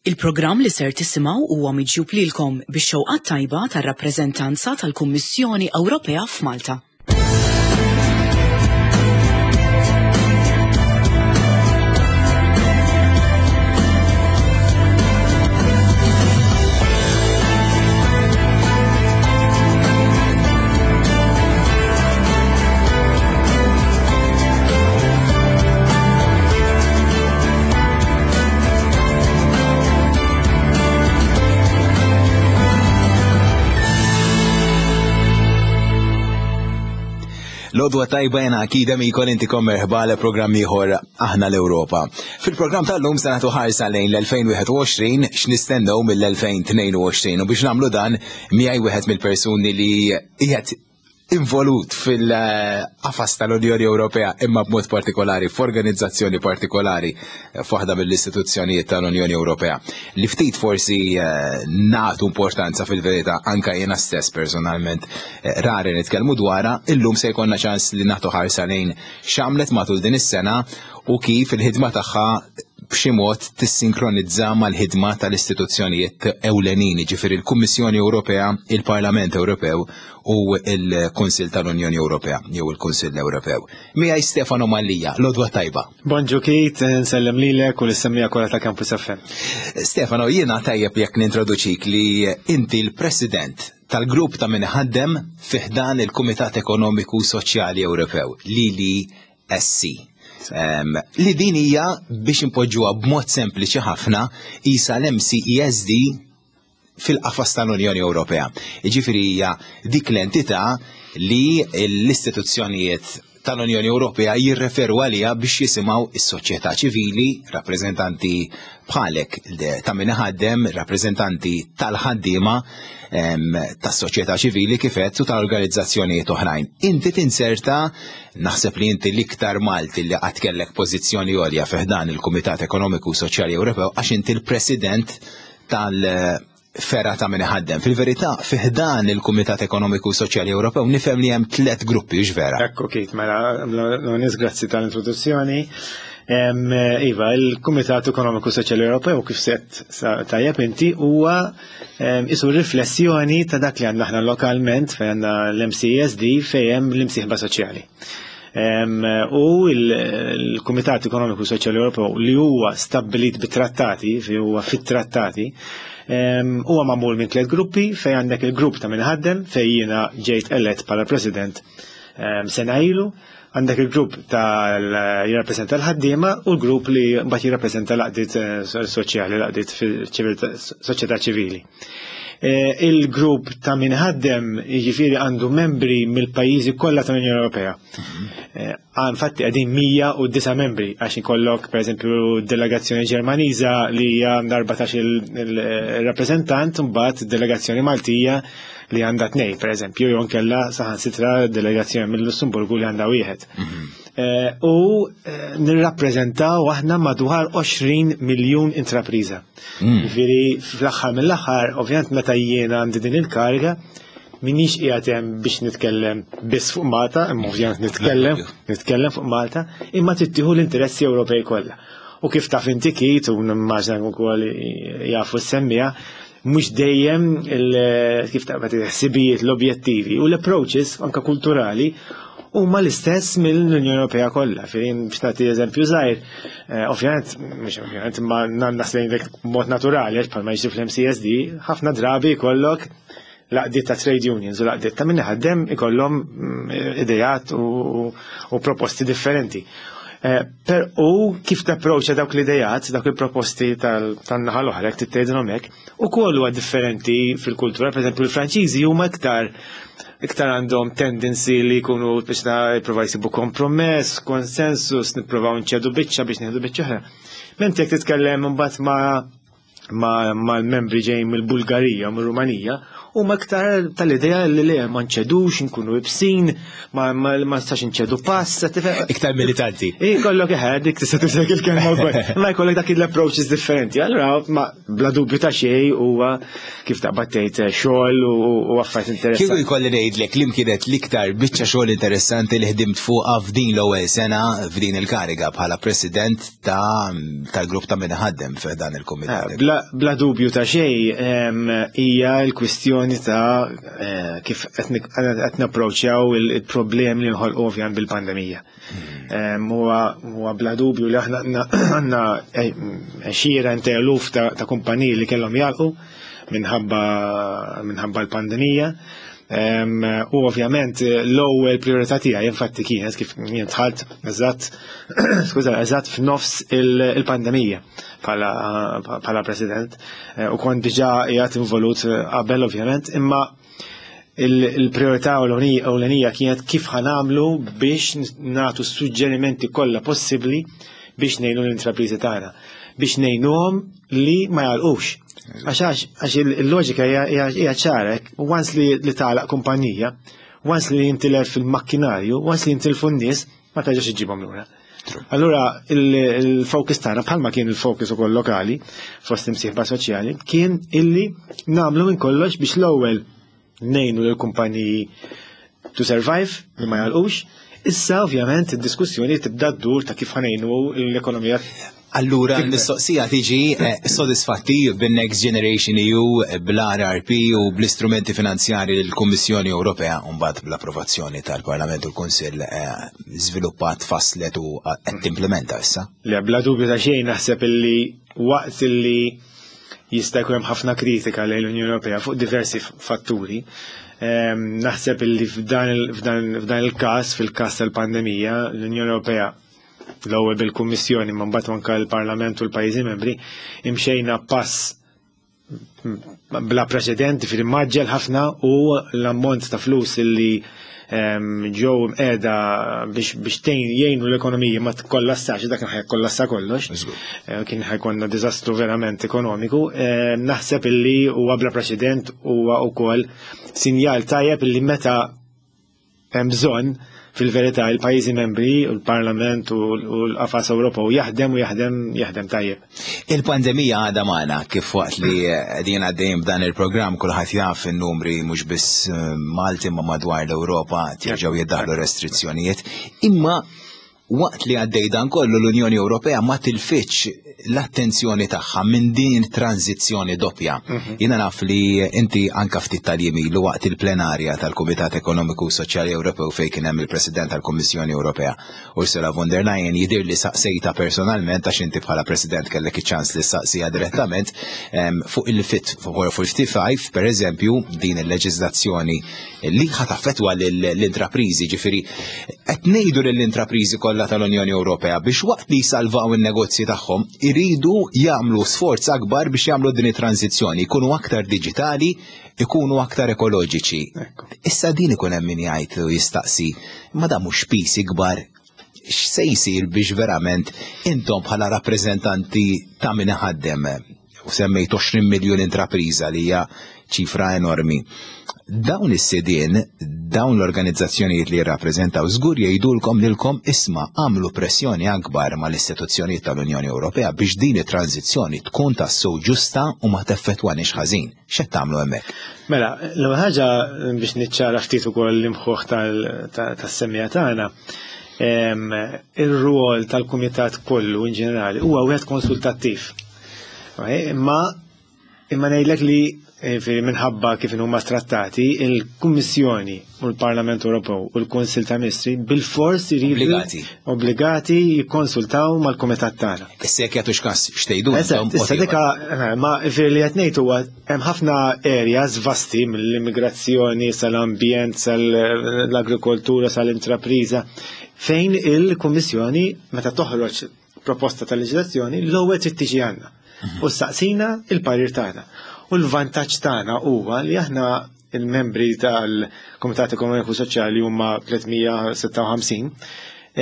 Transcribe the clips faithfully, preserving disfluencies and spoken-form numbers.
Il-programm li ser tisimgħu huwa miġjub lilkom bix-xewqa tajba tar-rappreżentanza tal-Kummissjoni Ewropea f'Malta. L-għodwa tajba jena akida mikol intikom merħba għal programm ieħor Aħna l-Ewropa. Fil-programm tal-lum se nagħtu ħarsa lejn l-elfejn wieħed u għoxrin x'nistennew mill-elfejn tnejn u għoxrin u biex nagħmlu dan miegħi wieħed mill-persuni li qiegħed involut fil-qafas tal-Unjoni Ewropea imma b'mod partikolari f'organizzazzjoni partikolari f'waħda mill-istituzzjonijiet tal-Unjoni Ewropea li ftit forsi, eh, nagħtu importanza fil-verità anka jiena stess personalment, eh, rari nitkellmu dwarha, illum se jkollna ċans li nagħtu ħarsa lejn x'għamlet matul din is-sena u kif il-ħidma tagħha b'xi mod tissinkronizza mal-ħidma tal-istituzzjonijiet ewlenin, ġifieri il-Kummissjoni Ewropea, il-Parlament Ewropew u il-Kunsill tal-Unjoni Ewropea jew il-Kunsill Ewropew. Miegħi Stefano Mallia, l-għodwa tajba. Bonġu Keith, nsellem lilek u l-semmija kollha ta' Campus F M. Stefano, jiena tajjeb jekk nintroduċik li inti l-President tal-grupp ta' min ħaddem fi ħdan il-Kumitat Ekonomiku Soċjali Ewropew, l I L E S C. Em, li din hija biex impoġġuha b'mod sempliċi ħafna isa l-M C E S D fil-qafas tal-Unjoni Ewropea. Jiġifieri hija dik l-entità li l-istituzzjonijiet tal-Unjoni Ewropea jirreferu għaliha biex jisimgħu is-soċjetà ċivili, rappreżentanti bħalek ta' min iħaddem, rappreżentanti tal-ħaddiema, em, tas-soċjetà ċivili kif għedt u tal-organizzazzjonijiet oħrajn. Inti tinserta, naħseb li inti l-iktar Malti li qatt kellek pożizzjoni għolja fi ħdan il-Kumitat Ekonomiku u Soċjali Ewropew għax inti l-President tal- fergħa ta' min iħaddem. Fil-verità, fi ħdan il-Kumitat Ekonomiku u Soċjali Ewropew nifhem li hemm tliet gruppi, hux vera? Ekku Keith, mela, l-onis grazzi tal-introduzzjoni. Em, Iva, il-Kumitat Ekonomiku Soċjali Ewropew kif set tajjeb inti huwa, em, isu riflessjoni ta' dak li għandna aħna lokalment fejn għandna l-M C S D fejn hemm l-imsieħba soċjali. Em, u il-, il-Kumitat Ekonomiku Soċjali Ewropew li huwa stabbilit bit-trattati, fejn huwa fit-trattati, em, huwa magħmul minn tliet gruppi fejn għandek il-grupp ta' min ħaddem fejn jiena ġejt elett bħala president, em, sena ilu, għandek il-grupp tal jirrappreżenta l-ħaddiema u l-grupp li mbagħad jirrappreżenta l-għaqdiet, eh, soċjali, l-għaqdiet fil-ċiviltà, soċjetà ċivili. Eh, il-grupp ta' min ħaddem jiġifieri għandu membri mill-pajjiżi kollha tal-Unjoni Ewropea. Mhm. Eh, infatti qegħdin mija u disa' membri għax ikollok pereżempju delegazzjoni Ġermaniża li hija għandha erbatax il-rappreżentant, mbagħad delegazzjoni Maltija li għandha tnejn pereżempju, jew inkella saħansitra delegazzjoni mill-Lussemburgu li għandha wieħed. Mhm. Eh, u, eh, nirrappreżentaw aħna madwar għoxrin miljun intrapriża. Mm. Jiġifieri fl-aħħar mill-aħħar, ovvjament meta jiena għandi din il-kariga, minix qiegħed hemm biex nitkellem biss fuq Malta, imma ovvjament nitkellem, nitkellem fuq Malta, imma tittieħu l-interessi Ewropej kollha. U kif taf inti Keith, u nimmaġina wkoll jafu s-semmija, mhux dejjem il-, kif taqbad il-ħsibijiet, l-objettivi u l-approaches anka kulturali huma l-istess mill-Unjoni Ewropea kollha. Fejn biex nagħti eżempju żgħir, eh, ovvjament, mhux ovvjament, imma nannas lejn dik b'mod naturali, għax bħalma jiġri fl-M C S D, ħafna drabi jkollok laqdiet ta' trade unions u laqdiet ta' min iħaddem ikollhom, mm, idejat u, u proposti differenti. Eh, per u kif tapproċċa dawk l-idejat, dawk il-proposti tal-, tan-naħa l-oħra, jekk titgħidilhom hekk, ukoll huwa differenti fil-kultura. Per eżempju, il-Franċiżi huma iktar, iktar għandhom tendency li jkunu biex ta' jippruvaw jsibu kompromess, konsensus, nippruvaw nċedu biċċa biex nieħdu biċċa oħra. Mentri jekk titkellem imbagħad ma', ma', mal-membri ġejjin mill-Bulgarija u mir-Rumanija, huma iktar tal-idea li le ma nċedux, nkunu ibsin, ma, ma, ma nistax nċedu pass, tifhem? Iktar militanti. Ej, kollok eħe, dik tista' tużak il-kelma wkoll. Ma jkollok dak il-approaches differenti. Allura, ma bla dubju ta' xejn huwa kif taqbad tgħid xogħol u, u affarijiet interessanti. Kieku jkolli ngħidlek li kienet l-iktar biċċa xogħol interessanti li ħdimt fuqha f'din l-ewwel sena f'din il-kariga bħala president ta', tal-grupp ta' min ħaddem f'dan il-kumitat. Eh, bla Bla, bla dubju ta' xejn hija l-kwistjoni ta' eh, kif qed napproċċjaw il-problemi li nħolqu ovvjament bil-pandemija. Hmm. Huwa bla dubju li aħna għandna għexieren ta' eluf ta' kumpaniji li kellhom jagħlqu minħabba minħabba l-pandemija. U ovvjament l-ewwel priorità tiegħi infatti kienet kif jien dħalt eżatt skuża eżatt f'nofs il-pandemija bħala president eh, u kont diġà qiegħed involut qabel ovvjament, imma il-priorità ewlenija kienet kif ħa nagħmlu biex nagħtu suġġerimenti kollha possibbli biex ngħinu l-intrapriżi tagħna, biex ngħinuhom li ma jagħlqux. Għax għax il-loġika hija ċara, once li li tagħlaq kumpanija, once li jintilef fil-makkinarju, once li jintilfu n-nies, ma terġax iġibhom lura. Allura il-focus tagħna, bħalma kien il-focus ukoll lokali fost imsieħba soċjali, kien illi nagħmlu minn kollox biex l-ewwel ngħinu lill-kumpaniji to survive, li ma jagħlqux. Issa ovvjament id-diskussjoni tibda ddur ta' kif ħa ngħinu l-ekonomija. Allura, l-mistoqsija tiġi eh, sodisfatti bin-Next Generation E U, bl-R R P u bl-istrumenti finanzjari l-Kummissjoni Ewropea, mbagħad bl-approvazzjoni tal-Parlament u l-Kunsill, eh, żviluppat, faslet u qed timplementa issa? Le, bla dubju ta' xejn, naħseb illi waqt illi jista' jkun hemm ħafna kritika lejn l-Unjoni Ewropea fuq diversi fatturi, ehm, naħseb illi f'dan il-każ, fil-każ tal-pandemija, l-Unjoni Ewropea, l-ewwel bil-Kummissjoni, ma mbagħad anke l-Parlament u l-pajjiżi membri, imxejna pass bla preċedenti fil-mgħaġġel ħafna, u l-ammont ta' flus illi ehm, ġew qiegħda biex biex tgħin jgħinu l-ekonomija ma tkollassax, dak kien ħa jkollassa kollox. Eh, kien ħa jkollna diżastru verament ekonomiku. Ehm, naħseb illi huwa bla preċedent, huwa wkoll sinjal tajjeb illi meta hemm bżonn, fil-verità, il-pajjiżi membri u l-Parlament u l-qafas Ewropew jaħdem u jaħdem jaħdem tajjeb. Il-pandemija għadha magħna, kif waqt li qegħdin għaddejjin b'dan il-programm kulħadd jaf in-numri, mhux biss eh, Malti ma madwar l-Ewropa jerġgħu jiddaħlu restrizzjonijiet. Imma waqt li għaddej dan kollu, l-Unjoni Ewropea ma tilfitx l-attenzjoni tagħha minn din tranzizzjoni doppja. Mhm. Jiena naf li inti anka ftit tal-jiem ilu, waqt il-plenarja tal-Kumitat Ekonomiku u Soċjali Ewropew fejn kien hemm il-President tal-Kummissjoni Ewropea Ursula von der Leyen, jidir li saqsejta personalment, għax inti bħala President kellek iċ-ċans li saqsija direttament fuq il-Fit for fifty-five, per eżempju, din il-leġiżlazzjoni li ħa taffettwa l-intraprizi, ġifieri qed ngħidu lill-intraprizi kollha tal-Unjoni Ewropea biex waqt li jsalvaw in-negozji tagħhom iridu jagħmlu sforz akbar biex jagħmlu din it-tranzizzjoni, jkunu aktar diġitali, ikunu aktar ekoloġiċi. Issa din ikun hemm min jgħid u jistaqsi, ma dan mhux piż ikbar? X'se jsir biex verament intom bħala rappreżentanti ta' min iħaddem, u semmejt għoxrin miljun intrapriża li hija ċifra enormi, dawn is-sidien, dawn l-organizzazzjonijiet li jirrappreżentaw, żgur jgħidulkom lilkom: "Isma', għamlu pressjoni akbar mal-istituzzjonijiet tal-Unjoni Ewropea biex din it-tranzizzjoni tkun tassew ġusta u ma teffettwanix ħażin." X'qed tagħmlu hemmhekk? Mela, l-ewwel ħaġa biex niċċara ftit ukoll l-imħuħ tas-semmiegħa tagħna, ir-rwol tal-kumitat kollu in ġenerali huwa wieħed konsultattiv. Imma imma ngħidlek li eh, minħabba kif huma trattati, il-Kummissjoni u l-Parlament Ewropew u l-Kunsil ta' Ministri bil-fors iridu Obbligati. Obbligati jikkonsultaw mal-kumitat tagħna. Issa jekk jagħtux kas x'tgħidu Eżatt, intom. Issa dika eh, ma li qed ngħid huwa hemm ħafna areas vasti, mill-immigrazzjoni sal-ambjent, sal-agrikoltura, sal-intrapriża, fejn il-Kummissjoni meta toħroġ proposta tal-leġislazzjoni l-ewwel trid tiġi għandna u saqsina il-parir tagħna. U l-vantaġġ tagħna huwa li aħna il-membri tal-Komitat Ekonomiku Soċjali huma tliet mija u sitta u ħamsin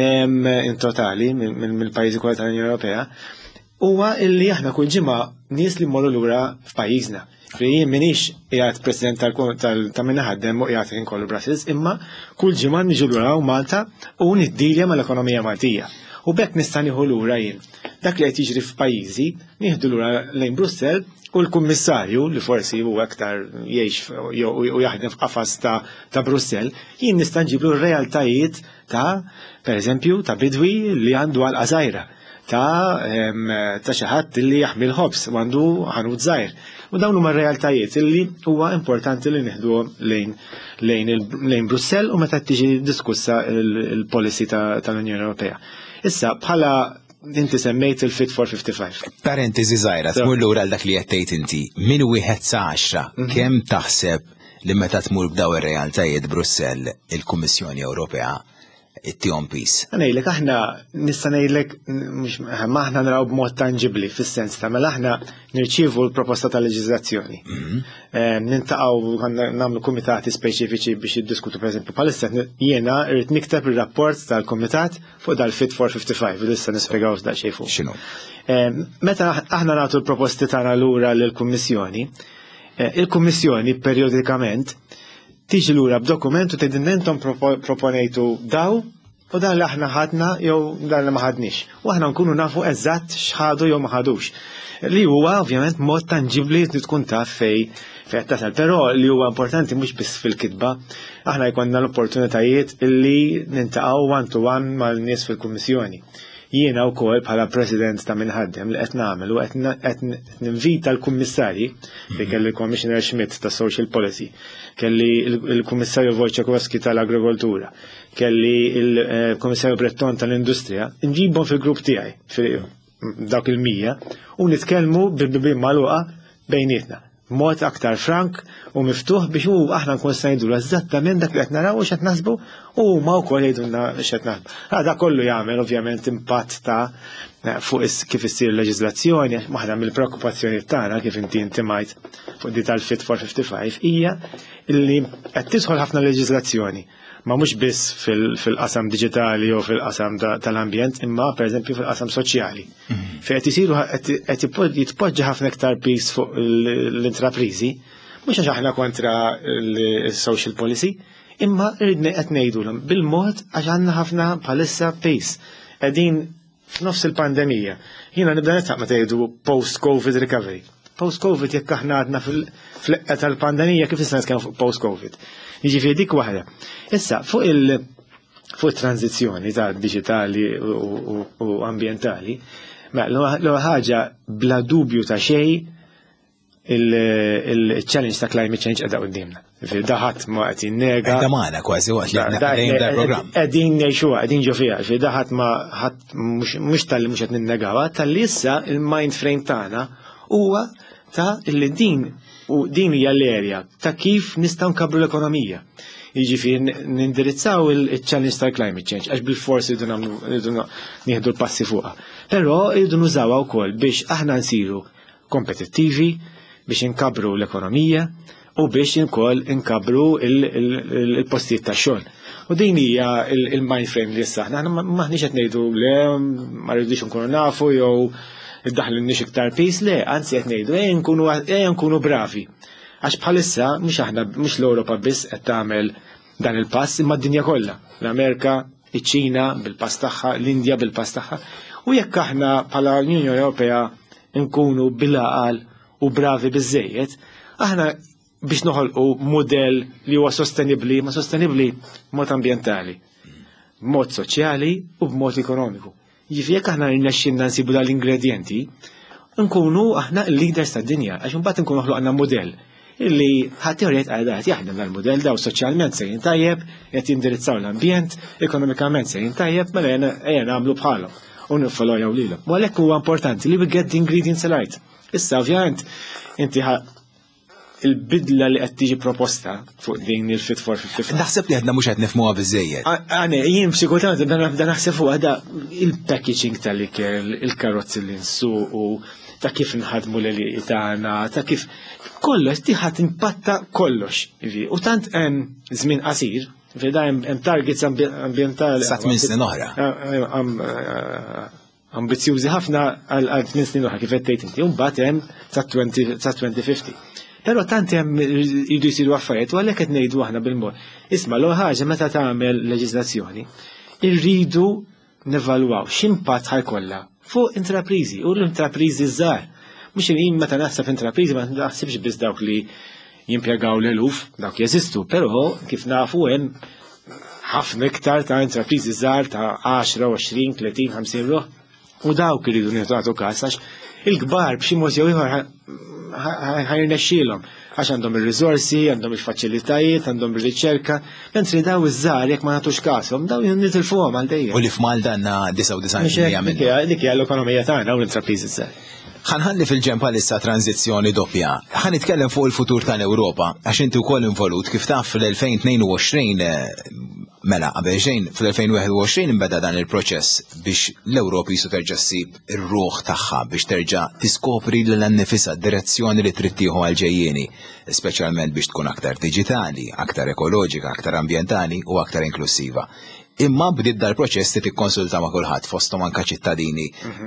in totali mill-pajjiżi kollha tal-Unjoni Ewropea, huwa illi aħna kull ġimgħa nies li mmorru lura f'pajjiżna. Jien minix qiegħed president ta' min ħaddem u qiegħed inkollu Brussels, imma kull ġimgħa niġu lura u Malta u niddilja mal-ekonomija Maltija. U b'hekk nista' nieħu lura jien dak li qed jiġri f'pajjiżi, nieħdu lura lejn Brussell, u l-kummissarju li forsi huwa aktar jgħix u jaħdem f'qafas ta', ta Brussell, jien nista' nġiblu r-realtajiet ta' per eżempju, ta' bidwi li għandu għalqa żgħira, ta' ta' xi ħadd li jaħmi l-ħobż u għandu ħanut żgħir. U dawn huma r-realtajiet illi huwa importanti li nieħduhom lejn lejn lejn Brussell u meta tiġi diskussa il-policy tal-Unjoni Ewropea. Issa bħala inti semmejt il-Fit for fifty-five. Parentesi żgħira, tmur lura għal dak li qed tgħid inti, minn wieħed sa għaxra, kemm taħseb li meta tmur b'daw ir-realtajiet Brussell il-Kummissjoni Ewropea ittihom piż? Ngħidlek aħna nista' ngħidlek ma aħna naraw b'mod tanġibbli fis-sens ta' mela aħna nirċievu l-proposta ta' leġiżlazzjoni. Niltaqgħu nagħmlu kumitati speċifiċi biex jiddiskutu, pereżempju bħalissa jiena rrid nikteb ir-rapport tal-kumitat fuq dal-Fit for fifty-five li issa nispjegaw daqsxejn fuq. X'inhu? Meta aħna nagħtu l-proposti tagħna lura lill-Kummissjoni, il-Kummissjoni periodikament tiġi lura b'dokument u tgħidilna intom proponejtu daw u dan li aħna ħadna jew dan li ma ħadniex. U aħna nkunu nafu eżatt x'ħadu jew ma ħadux. Li huwa ovvjament mod tanġibbli li tkun taf fej fejn tasal. Però li huwa importanti mhux biss fil-kitba, aħna jkollna l-opportunitajiet illi niltaqgħu one to one mal-nies fil-Kummissjoni. Jiena wkoll bħala president ta' min iħaddem li qed nagħmel u qed ninvita l-kummissarji, li kelli l-Commissioner Schmit ta' Social Policy, kelli l-Kummissarju Wojciechowski tal-Agrikoltura, kelli l-Kummissarju Breton tal-Industrija, nġibhom fil-grupp tiegħi, dawk il-mija, u nitkellmu bil-bibien magħluqa bejnietna. Mod aktar frank u miftuħ biex u aħna nkun se ngħidu eżattament dak li qed naraw u x'qed naħsbu u huma wkoll jgħidulna x'qed naħsbu. Dak kollu jagħmel ovvjament impatt ta' fuq kif issir leġiżlazzjoni, waħda mill-preokkupazzjoni tagħna kif inti intimajt fuq di tal-Fit for fifty-five hija illi qed tidħol ħafna leġiżlazzjoni, ma mhux biss fil-qasam diġitali jew fil-qasam tal-ambjent, imma pereżempju fil-qasam soċjali. Fejn qed isiru qed jitpoġġa ħafna iktar piż fuq l-intrapriżi, mhux għax aħna kontra l-social policy, imma rridna qed ngħidulhom bil-mod għax għandna ħafna bħalissa piż. Qegħdin f'nofs il-pandemija. Jiena nibda nitħaq meta jgħidu post-COVID recovery. Post-COVID jekk aħna għadna fil-eqqa tal-pandemija kif nista' nitkellmu fuq post-COVID. Jiġifieri dik waħda. Issa fuq il fuq tranzizzjoni ta' diġitali u ambjentali, l-ewwel ħaġa bla dubju ta' xejn il-challenge ta' climate change qiegħda quddiemna. Da ħadd ma qed jinnega. Qiegħda magħna kważi waqt li qegħdin dal-programm. Qegħdin ngħixuha, qegħdin ġo fiha, da ħadd ma ħadd mhux talli mhux qed ninnegawha, talli issa il-mind frame tagħna huwa ta' illi din u din hija l-erja ta' kif nistgħu nkabbru l-ekonomija. Jiġifieri nindirizzaw il-challenge tal-climate change għax bil-forsi rridu nagħmlu nieħdu l-passi fuqha. Però rridu nużawha wkoll biex aħna nsiru kompetittivi, biex inkabru l-ekonomija u biex ukoll inkabru il-postijiet tax-xogħol. U din hija il-mind frame li issa aħna maħniex qed ngħidu le ma rridux nkunu nafu jew iddaħħlulniex iktar piż, le, anzi qed ngħidu ejja nkunu ejja nkunu bravi. Għax bħalissa mhux aħna mhux l-Ewropa biss qed tagħmel dan il-pass imma d-dinja kollha. L-Amerika, iċ-Ċina bil-pass tagħha, l-Indja bil-pass tagħha. U jekk aħna bħala l-Unjoni Ewropea nkunu bil-għaqal u bravi biżejjed, aħna biex noħolqu modell li huwa sostenibbli, ma sostenibbli b'mod ambjentali, b'mod soċjali u b'mod ekonomiku. Jiġifieri jekk aħna rnexxinna nsibu dal-ingredjenti, nkunu aħna l-leaders tad-dinja, għax imbagħad nkunu ħloqna modell illi ħadd jgħid għal qed jaħdem dal-modell daw soċjalment sejrin tajjeb, qed jindirizzaw l-ambjent, ekonomikament sejrin tajjeb, mela ejja nagħmlu bħalhom u niffollowjaw lilhom. U għalhekk huwa importanti li we get the ingredients right. Issa ovvjament inti il-bidla li qed tiġi proposta fuq din il-Fit for fifty-five. Naħseb li għadna mhux qed nifhmuha biżejjed. Għane, jien f'xi kultant nibda naħseb fuq għada il-packaging tal-ikel, il-karozzi li nsuqu, ta' kif nħadmu l-għelieqi tagħna, ta' kif kollox tiħat impatta kollox. U tant hemm żmien qasir, da hemm targets ambjentali. Sa tmien snin oħra. Ambizzjużi ħafna għal tmien snin oħra kif qed tgħid inti, u mbagħad hemm sa twenty fifty. Però tant hemm jridu jsiru affarijiet u għalhekk qed ngħidu aħna bil-mod. Isma' l ħaġa meta tagħmel leġiżlazzjoni, irridu nevalwaw x'impatt ħajkollha fuq intrapriżi u l-intrapriżi żgħar. Mhux jien meta naħseb intrapriżi ma naħsibx biss dawk li jimpjegaw l-eluf, dawk jeżistu, però kif nafu hemm ħafna iktar ta' intrapriżi żgħar ta' għaxra, għoxrin, tletin, ħamsin ruħ. U dawk iridu nagħtu każ għax il-kbar b'xi mod jew ieħor ħa jirnexxielhom għax għandhom ir-riżorsi, għandhom il-faċilitajiet, għandhom ir-riċerka, mentri daw iż-żgħar jekk ma nagħtux kashom, daw nitilfuhom għal dejjem. U li f'Malta għandna disgħa u disgħin fil-mija minnhom. Dik hija l-ekonomija tagħna u l-intrapriżi żgħar. Ħa nħalli fil-ġenb issa tranzizzjoni doppja. Ħa nitkellem fuq il-futur tal-Ewropa, għax inti wkoll involut kif taf fl-elfejn u tnejn u għoxrin, mela, qabel xejn, fl-elfejn u wieħed u għoxrin imbeda dan il-proċess biex l-Ewropa jisu terġa' ssib ir-ruħ tagħha, biex terġa' tiskopri lilha nnifisha, direzzjoni li trid tieħu għal-ġejjieni, speċjalment biex tkun aktar diġitali, aktar ekoloġika, aktar ambjentali u aktar inklusiva. Imma bdiet dal-proċess li tikkonsulta ma' kulħadd, fosthom anka ċittadini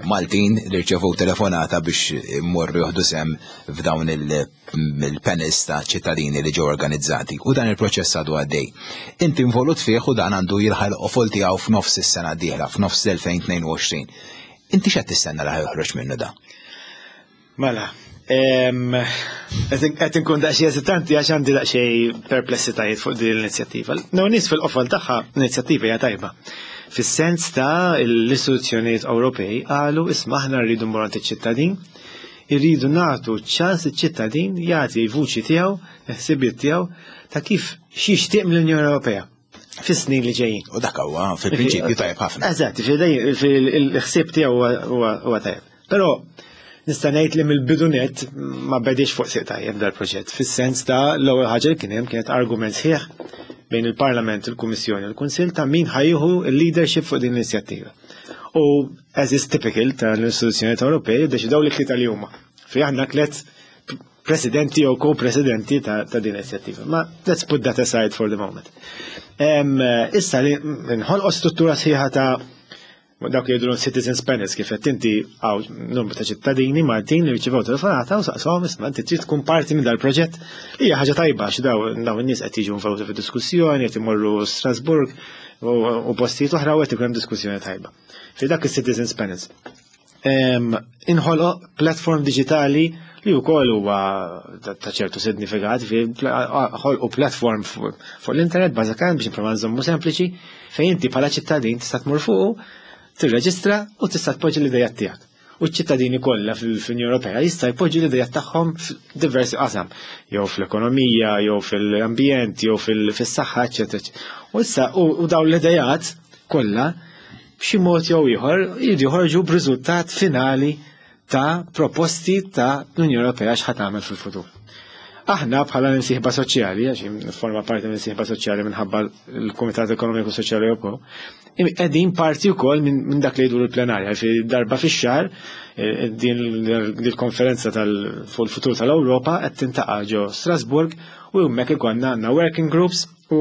Maltin li rċevu telefonata biex immorru joħdu sehem f'dawn il-panels ta' ċittadini li ġew organizzati. U dan il-proċess għadu għaddej. Inti involut fih u dan għandu jilħaq il-qofol tiegħu f'nofs is-sena d-dieħla, f'nofs l-elfejn u tnejn u għoxrin. Inti x'qed tistenna li joħroġ minnu da? Mela, qed inkun daqsxejn eżitanti għax għandi daqsxejn perplessitajiet fuq din l-inizjattiva. No, nies fil-qofol tagħha l-inizjattiva hija tajba. Fis-sens ta' l-istituzzjonijiet Ewropej qalu, isma', aħna rridu mmorru iċ-ċittadin, irridu nagħtu ċans iċ-ċittadin jagħti vuċi tiegħu, ħsibiet tiegħu ta' kif x'jixtieq mill-Unjoni Ewropea fis-snin li ġejjin. U dak huwa fil-prinċipju tajjeb ħafna. Eżatt, fil-ħsieb tiegħu huwa tajjeb. Però nista' ngħid li mill-bidu nett ma bediex fuq sieq tajjeb dal-proġett, fis-sens ta' l-ewwel ħaġa li kien hemm kienet argument sħiħ bejn il-Parlament, il-Kummissjoni u l-Kunsill ta' min ħa jieħu il-leadership fuq din l-inizjattiva. U as is typical tal-istituzzjonijiet Ewropej, deċidew li tlieta li huma. Fi aħna tliet presidenti jew ko-presidenti ta', ta din l-inizjattiva. Ma let's put that aside for the moment. Issa li nħolqu struttura sħiħa ta' dawk li jgħidu citizens panels, kif qed inti, hawn numru ta' ċittadini Maltin li rċevew telefonata u saqshom, isma', inti trid tkun parti minn dal-proġett. Hija ħaġa tajba għax daw daw in-nies qed jiġu involuti fid-diskussjoni, qed imorru Strasburg u postijiet oħra u qed ikun hemm diskussjoni tajba. Fi dak is-citizens panels. Inħoloq platform digitali li wkoll huwa ta' ċertu sinifikat, ħolqu platform fuq l-internet bażikament, biex nipprova nżommu sempliċi, fejn inti bħala ċittadin tista' tmur fuq, tirreġistra u tista' tpoġġi l-idejat tiegħek. U ċ-ċittadini kollha fil-Unjoni Ewropea jista' jpoġġi l-idejat tagħhom f'diversi qasam, jew fl-ekonomija, jew fil-ambjent, jew fis-saħħa, eċetera. U issa u dawn l-idejat kollha b'xi mod jew ieħor jridu joħorġu b'riżultat finali ta' proposti ta' l-Unjoni Ewropea x'ħa tagħmel fil-futur. Aħna bħala l-imsieħba soċjali, għax forma parti minn soċjali minħabba l-Kumitat Ekonomiku Soċjali Ewropew, qegħdin parti wkoll minn dak li jgħidu l-plenarja, fi darba fix-xahar eh, din il-konferenza fuq il-futur tal-Ewropa qed tiltaqa' ġo Strasburg u hemmhekk ikollna għandna working groups u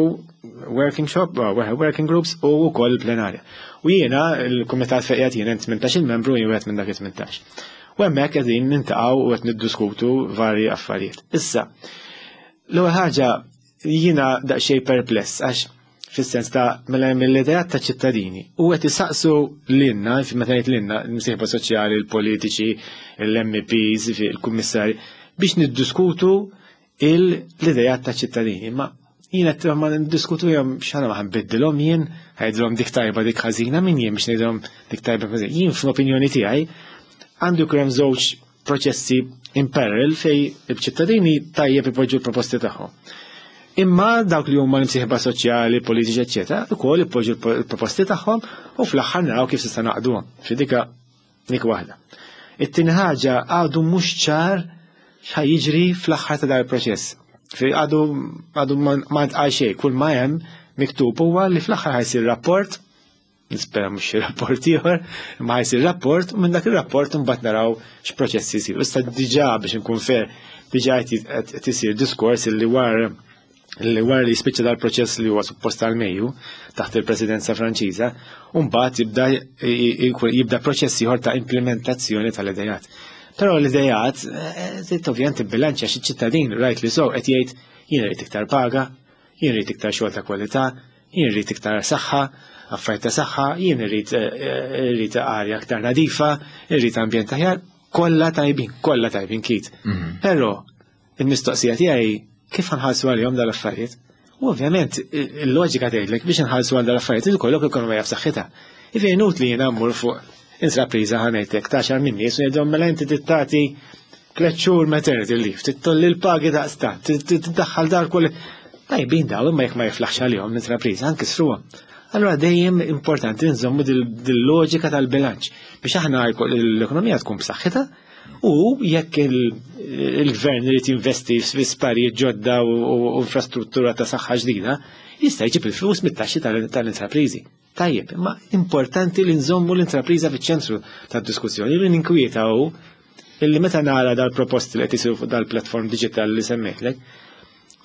working shop, working groups u wkoll il-plenarja. U jiena il-kumitat fejn qiegħed jien tmintax il-membru, jien wieħed minn dak it-tmintax. U hemmhekk qegħdin niltaqgħu u qed niddiskutu varji affarijiet. Issa, l-ewwel ħaġa, jiena daqsxejn perpless għax fis-sens ta' mela mill-idejat ta' ċittadini u qed isaqsu lilna, meta ngħid lilna, l-imsieħba soċjali, il-politiċi, l-M Ps, il-kummissarji, biex niddiskutu l-idejat ta' ċittadini. Ma jiena ma niddiskutu jom xana ma ħa nbiddilhom jien, ħa ngħidilhom dik tajba, dik ħażina, min jien biex ngħidilhom dik tajba, ħażina? Jien fl-opinjoni tiegħi għandu jkun hemm żewġ proċessi in parallel fej il-ċittadini tajjeb ipoġġu l-proposti tagħhom. Imma dawk li huma l-imsieħba soċjali, politiċi, eċċetera, ukoll ipoġġu l-proposti tagħhom u fl-aħħar naraw kif se naqduhom. Fi dika dik waħda. It-tieni ħaġa, għadu mhux ċar x'ħa jiġri fl-aħħar ta' dan il-proċess. Fi għadu għadu ma ntqal xejn, kull ma hemm miktub huwa li fl-aħħar ħa jsir rapport, nispera mhux xi rapport ieħor, imma ħa jsir rapport u minn dak ir-rapport imbagħad naraw x'proċessi jsiru. Issa diġà, biex inkun fair, diġà qed isir diskors li wara li wara li jispiċċa dal-proċess li huwa suppost tal-Mejju taħt il-Presidenza Franċiża, u mbagħad jibda jibda proċess ieħor ta' implementazzjoni tal-idejat. Però l-idejat, eh, ovvjament bilanċja xi ċittadin rightly so qed jgħid, jien rrid iktar paga, jien rrid iktar xogħol ta' kwalità, jien rrid iktar saħħa, affarijiet ta' saħħa, jien irrid eh, irrid arja aktar nadifa, irrid ambjent aħjar, kollha tajbin, kollha tajbin kit. Mhm. Però il-mistoqsija tiegħi, kif ħa nħallsu għalihom dal-affarijiet? U ovvjament il-loġika tgħidlek biex nħallsu għal dal-affarijiet ikollok ekonomija f'saħħitha. Ifej inutli jiena mmur fuq Intrapriża, ħa ngħidlek, ta' għaxar min nies u jgħidhom mela inti tagħti tliet xhur maternity leave, tgħolli l-pagi daqstant, tiddaħħal dar kull. Tajbin daw, imma jekk ma jiflaħx għalihom l-intrapriża, nkissruhom. Allora dejjem importanti nżommu dil-loġika tal-bilanċ biex aħna l-ekonomija tkun b'saħħitha u jekk il-gvern irid jinvesti fi sptarijiet ġodda u infrastruttura ta' saħħa ġdida, jista' jġib il-flus mit-taxxi tal-intrapriżi. Tajjeb, imma importanti li nżommu l-intrapriża fiċ-ċentru tad-diskussjoni. Li ninkwieta hu illi meta nara dal-proposti li qed isiru fuq dal-platform digital li semmejtlek,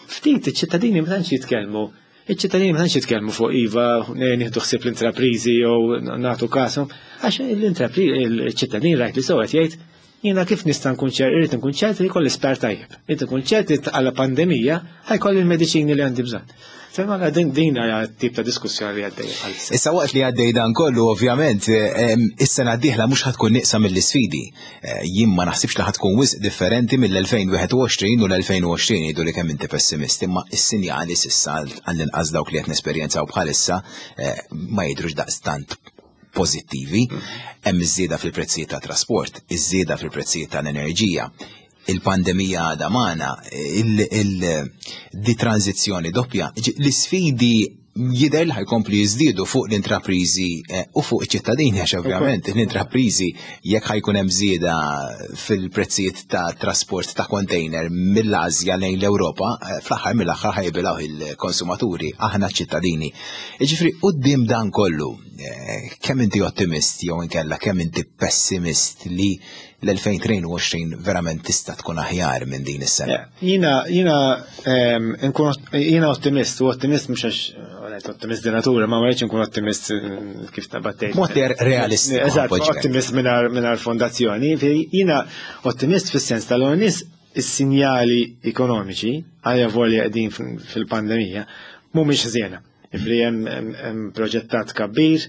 ftit iċ-ċittadini ma tantx jitkellmu. Iċ-ċittadini ma tantx jitkellmu fuq iva nieħdu ħsieb l-intrapriżi jew nagħtu kashom, għax l-ċittadini rajt li sewwa jgħid jiena kif nista' nkun ċert, irrid nkun ċert li jkolli sptar tajjeb. Irrid nkun ċert li għala pandemija ħa jkolli l-mediċini li għandi bżonn. Fema din din hija tip ta' diskussjoni li għaddej bħalissa. Issa waqt li għaddej dan kollu, ovvjament, is-sena d-dieħla mhux ħa tkun nieqsa mill-isfidi. Eh, jien ma naħsibx li ħa tkun wisq differenti mill-elfejn u wieħed u għoxrin u l-elfejn u għoxrin, jgħidu li kemm inti pessimist, imma is-sinjali s'issa, għall-inqas dawk li qed nesperjenzaw bħalissa, eh, ma jidhrux daqstant pożittivi. Hemm iż-żieda fil-prezzijiet ta' trasport, iż-żieda fil-prezzijiet tal-enerġija, il-pandemija għadha magħna, di tranzizzjoni doppja, l-isfidi jidher li ħa jkomplu jiżdiedu fuq l-intraprizi eh, u fuq iċ-ċittadini, għax ovvjament l-intraprizi, jekk ħa jkun hemm żieda fil-prezzijiet ta' trasport ta' container mill-Asja lejn l-Ewropa, eh, fl-aħħar mill-aħħar ħa jibilgħu il-konsumaturi, aħna ċittadini. Jiġifieri quddiem dan kollu, eh, kemm inti ottimist jew inkella kemm inti pessimist li l-elfejn u tnejn u għoxrin verament tista' tkun aħjar minn din is-sena? Jiena jiena nkun jiena ottimist, u ottimist mhux għax ottimist di natura, ma ma nkun ottimist eh, kif ta' battejt. Mod realistiku. Eżatt, ottimist mingħajr fondazzjoni. Jiena ottimist fis-sens tal-nies is-sinjali ekonomiċi, għalja volja qegħdin fil-pandemija, mhumiex ħżiena. Ifri hemm proġettat kabbir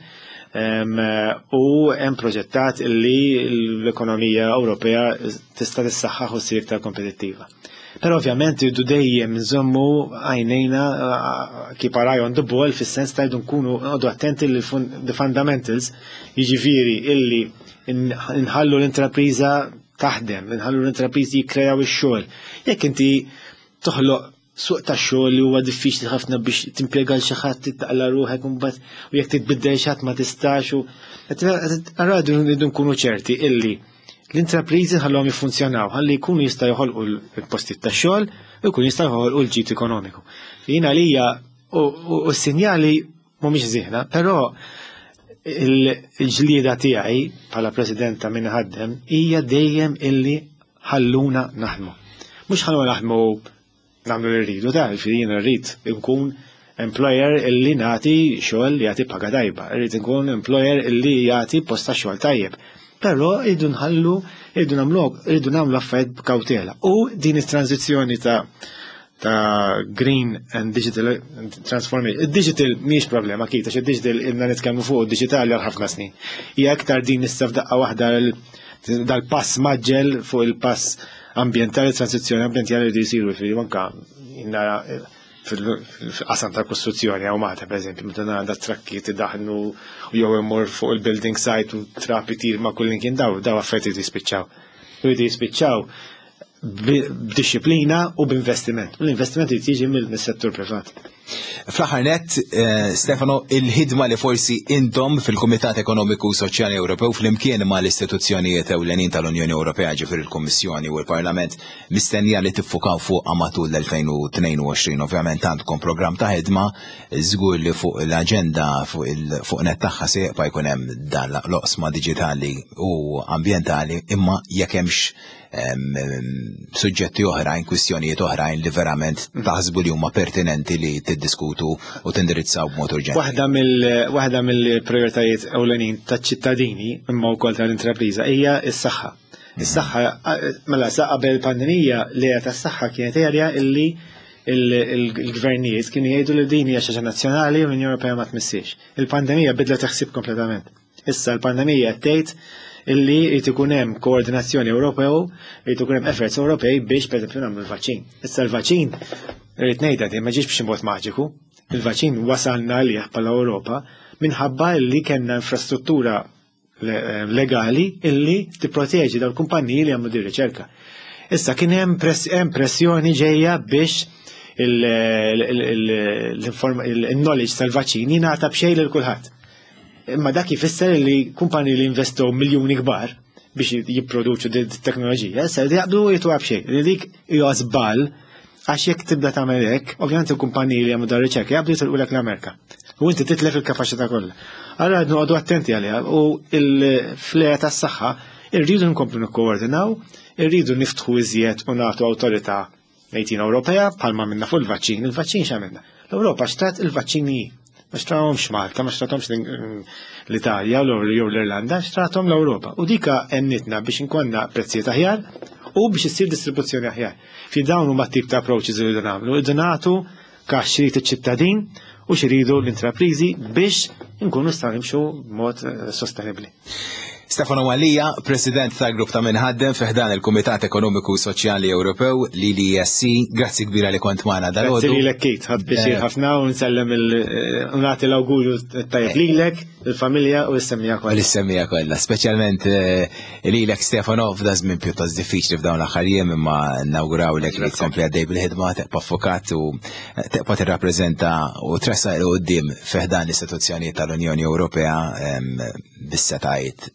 u hemm proġettat li l-ekonomija Ewropea tista' tissaħħaħ u ssir iktar kompetittiva. Però ovvjament irridu dejjem nżommu għajnejna, keep our eye on the ball, fis-sens ta' jridu nkunu għodu attenti li the fundamentals, jiġifieri illi nħallu l-intrapriża taħdem, nħallu l-intrapriżi jikkrejaw ix-xogħol. Jekk inti toħloq suq ta' xogħol li huwa diffiċli ħafna biex timpjega l xi ħadd, taqla ruħek imbagħad u jekk titbiddel xi ħadd ma tistax, u allura rridu nkunu ċerti illi l-intrapriżi ħallhom jiffunzjonaw ħalli jkunu jista' joħolqu l-postijiet ta' xogħol u jkunu jista' joħolqu l-ġid ekonomiku. Jiena lija u s-sinjali mhumiex ħżiena, però il-ġlieda tiegħi bħala president ta' min ħaddem hija dejjem illi ħalluna naħdmu. Mhux ħalluna naħdmu nagħmlu li rridu ta', jiena rrid nkun employer illi nagħti xogħol li jagħti paga tajba, rrid nkun employer illi jagħti post ta' xogħol tajjeb. Però rridu nħallu, rridu nagħmlu, rridu nagħmlu affarijiet b'kawtela. U din it-tranzizzjoni ta' ta' green and digital transformation. Il-digital mhix problema kita, għax il-digital ilna nitkellmu fuq digitali għal ħafna snin. Hija aktar din issa f'daqqa waħda dal-pass mgħaġġel fuq il-pass ambientali, transizzjoni ambientali li jisiru fi anka nara fil-qasam ta' kostruzzjoni hawn Malta, per eżempju, meta nara da trakki tidaħnu u jew imur fuq il-building site u trab itir ma' kull kien, daw daw affarijiet jispiċċaw. Jridu jispiċċaw b'disciplina u b'investiment. U l-investiment jiġi mill-settur privat. Fl-aħħar net, eh, Stefano, il-ħidma li forsi intom fil-Kumitat Ekonomiku u Soċjali Ewropew flimkien ma l-istituzzjonijiet ewlenin tal-Unjoni Ewropea, ġifieri il-Kummissjoni u l-Parlament, mistennija li tiffukaw fuq matul l-elfejn u tnejn u għoxrin. Ovvjament għandkom programm ta' ħidma, żgur li fuq l-aġenda fuq il-fuq net tagħha se jibqa' jkun hemm dan l-oqsma diġitali u ambjentali, imma jekk hemmx suġġetti oħrajn, kwistjonijiet oħrajn li verament taħsbu li huma pertinenti li tiddiskutu u tindirizzaw b'mod urġenti. Waħda mill waħda mill-prioritajiet ewlenin taċ-ċittadini imma wkoll tal-intrapriża hija s-saħħa. Is-saħħa, mela sa qabel pandemija li tas-saħħa kienet area illi il-gvernijiet kienu jgħidu li din hija xi ħaġa nazzjonali u l-Unjoni Ewropea ma tmissix. Il-pandemija bidlet ħsieb kompletament. Issa l-pandemija tgħid illi jrid ikun hemm koordinazzjoni Ewropew, jrid ikun hemm efforts Ewropej biex pereżempju nagħmlu l-vaċċin. Issa l-vaċċin, irrid ngħidha din, ma ġiex b'xi mod maġiku. Il-vaċċin wasalna għalih bħala Ewropa minħabba li kellna infrastruttura legali illi tipproteġi dawn il-kumpaniji li għamlu din riċerka. Issa kien hemm pressjoni ġejja biex il-knowledge tal-vaċċini jingħata b'xejn lil kulħadd. Imma dak jfisser li kumpaniji li investow miljuni kbar biex jipproduċu din teknoloġija, issa jaqbdu jtuha b'xejn. Li dik hija żball għax jekk tibda tagħmel hekk, ovvjament il-kumpaniji li jagħmlu dan riċerka jaqbdu jitilqulek l-Amerika. U inti titlef il-kapaċità kollha. Allura noqogħdu attenti għaliha u fl-area tas-saħħa irridu nkomplu nikkoordinaw, irridu niftħu iżjed u nagħtu awtorità ngħidin Ewropea bħalma minna fuq il-vaċċin, il-vaċċin x'għamilna? L-Ewropa xtrat il-vaċċini ma xtrawhomx Malta, ma xtrathomx l-Italja jew l-Irlanda, xtrathom l-Ewropa. U dika għenitna biex inkonna prezzijiet aħjar u biex issir distribuzzjoni aħjar. Fi dawn huma tip ta' approaches li rridu nagħmlu, irridu nagħtu kax x'irid iċ-ċittadin u x'iridu l-intrapriżi biex inkunu nistgħu nimxu b'mod sostenibbli. Stefano Mallia, President tal-Grupp ta' Min Iħaddem fi ħdan il-Kumitat Ekonomiku Soċjali Ewropew, l-E S C, grazzi kbira li kont magħna dalgħodu. Grazzi lilek Kate, ħadt pjaċir eh. ħafna u nsellem u nagħti l-awgurju tajjeb lilek, il-familja u l-semmiegħa kollha. L-semmiegħa kollha, speċjalment eh, lilek Stefano f'da żmien pjuttost diffiċli f'dawn l-aħħar jiem, imma nawgurawlek li tkompli għaddej bil-ħidma, tibqa' ffukat u tibqa' tirrappreżenta u tressaq 'il quddiem fi ħdan l-istituzzjonijiet tal-Unjoni Ewropea bis-setgħat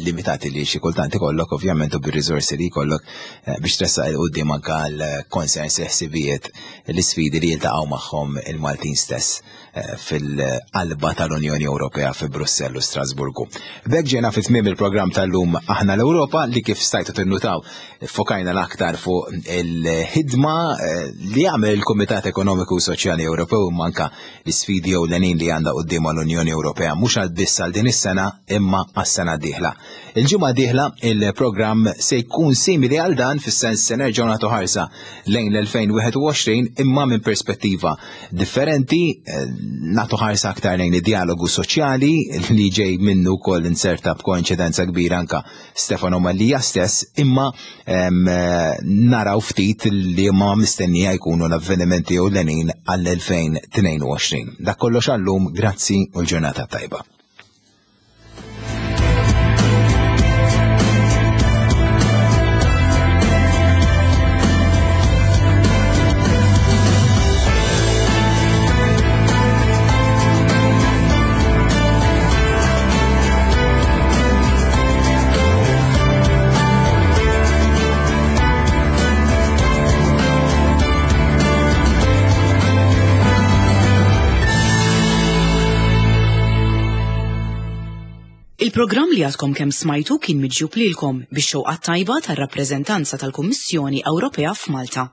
limitati li xi kultant ikollok ovvjament u bir-riżorsi li jkollok eh, biex tressaq 'il quddiem anke l-concerns, il-ħsibijiet, l-isfidi li jiltaqgħu magħhom il-Maltin stess eh, fil-qalba tal-Unjoni Ewropea fi Brussell u Strasburgu. B'hekk ġejna fi tmiem il-programm tal-lum Aħna l-Ewropa, li kif stajtu tinnutaw fokajna l-aktar fuq il-ħidma eh, li jagħmel il-Kumitat Ekonomiku u Soċjali Ewropew, manka l-isfidi ewlenin li għandha quddiem l-Unjoni Ewropea mhux għal biss għal din is-sena imma għas-sena d-dieħla. Il-ġimgħa dieħla il-programm se jkun simili għal dan, fis-sens se nerġgħu nagħtu ħarsa lejn l-elfejn u wieħed u għoxrin imma minn perspettiva differenti, eh, nagħtu ħarsa aktar lejn id-dialogu soċjali li ġej minnu wkoll inserta b'koinċidenza kbira anka Stefano Mallia stess, imma em, eh, naraw ftit li ma mistennija jkunu l-avvenimenti ewlenin għall-elfejn u tnejn u għoxrin. Dak kollox għallum, grazzi u l-ġurnata tajba. Il-programm li għadkom kemm smajtu kien miġjub lilkom bix-xewqa tajba tar-rappreżentanza tal-Kummissjoni Ewropea f'Malta.